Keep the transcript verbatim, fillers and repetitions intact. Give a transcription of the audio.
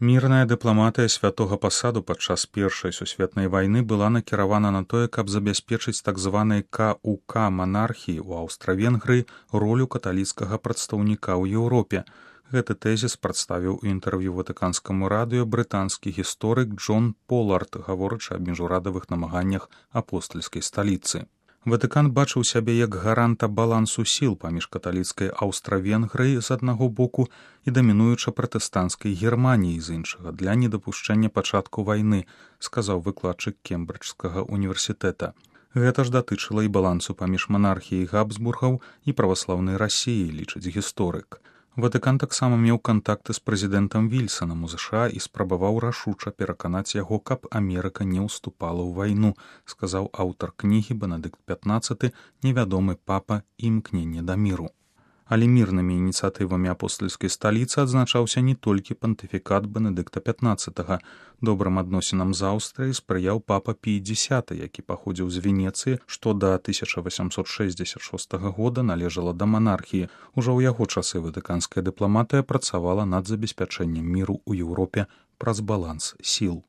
Мірная дыпламатыя святога пасаду падчас першай сусветнай вайны была накіравана на тое, каб забяспечыць так званай ка у ка манархіі ў Аўстра-Венгрыі ролю каталіцкага прадстаўніка ў Еўропе. Гэты тэзіс прадставіў у інтэрв'ю ватыканскаму радыё брытанскі гісторык Джон Полард, гаворачы аб міжурадавых намаганнях апостальскай сталіцы. Ватыкан бачыў сябе як гаранта балансу сіл паміж каталіцкай Аўстра-Венгрыяй з аднаго боку і дамінуюча пратэстанцкай Германіяй з іншага для недапушчэння пачатку вайны, сказаў выкладчык Кембриджскага універсітэта. Гэта ж датычыла і балансу паміж манархіяй Габсбургаў і праваслаўнай Расіяй, лічыць гісторык. Ватыкан таксама меў кантакты з прэзідэнтам Вільсанам у ЗША і спрабаваў рашуча пераканаць яго, каб Амерыка не ўступала ў вайну, сказаў аўтар кнігі Бенедыкт пятнаццаты «Невядомы папа і імкненне да міру». Але мірнымі ініцыятывамі апостальскай сталіцы адзначаўся не толькі пантыфікат Бенедыкта пятнаццатага. Добрым адносінам з Аўстрыяй спрыяў папа Пій дзесяты, які паходзіў з Венецыі, што да тысяча васямсот шэсцьдзесят шостага года належала да манархіі. Ужо ў яго часы ватыканская дыпламатыя працавала над забеспячэннем міру ў Еўропе праз баланс сіл.